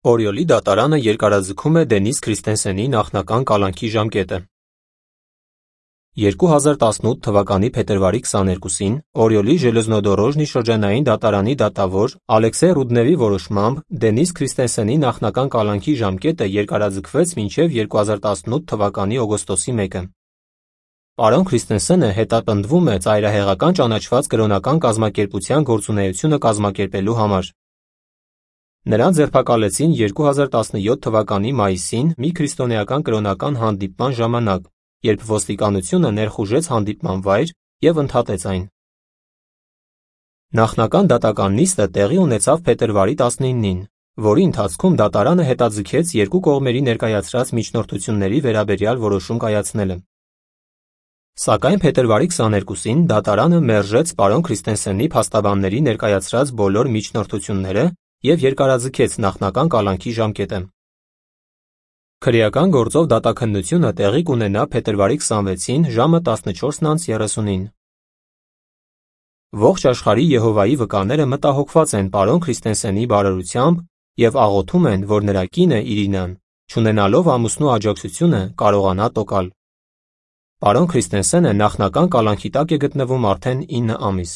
Օրիոլի դատարանը երկարաձգում է Դենիս Քրիստենսենի նախնական կալանքի ժամկետը։ 2018 թվականի փետրվարի 22-ին Օրիոլի Ժելեզնոդորոժնի շրջանային դատարանի դատավոր Ալեքսեյ Ռուդնևի որոշմամբ Դենիս Քրիստենսենի նախնական կալանքի ժամկետը երկարաձգվեց մինչև 2018 թվականի օգոստոսի 1-ը։ Պարոն Քրիստենսենը հետապնդվում է ծայրահեղական ճանաչված կրոնական կազմակերպության գործունեությունը կազմակերպելու համար։ Նրան ձերբակալեցին 2017 թվականի մայիսին մի քրիստոնեական կրոնական հանդիպման ժամանակ, երբ ոստիկանությունը ներխուժեց հանդիպման վայր և ընդհատեց այն։ Նախնական դատական նիստը տեղի ունեցավ փետրվարի 19-ին, որի ընթացքում դատարանը հետաձգեց երկու կողմերի ներկայացրած միջնորդությունների վերաբերյալ որոշում կայացնելը։ Սակայն փետրվարի 22-ին դատարանը մերժեց պարոն Քրիստենսենի փաստաբանների ներկայացրած բոլոր միջնորդությունները և երկարաձգեց նախնական կալանքի ժամկետը։ Քրեական գործով դատաքննությունը տեղի կունենա փետրվարի 26-ին ժամը 14:30-ին։ Ողջ աշխարհի Եհովայի վկաները մտահոգված են պարոն Քրիստենսենի բարօրությամբ և աղոթում են, որ նրա կինը Իրինան, չունենալով ամուսնու աջակցությունը, կարողանա տոկալ։ Պարոն Քրիստենսենը նախնական կալանքի տակ է գտնվում արդեն 9 ամիս։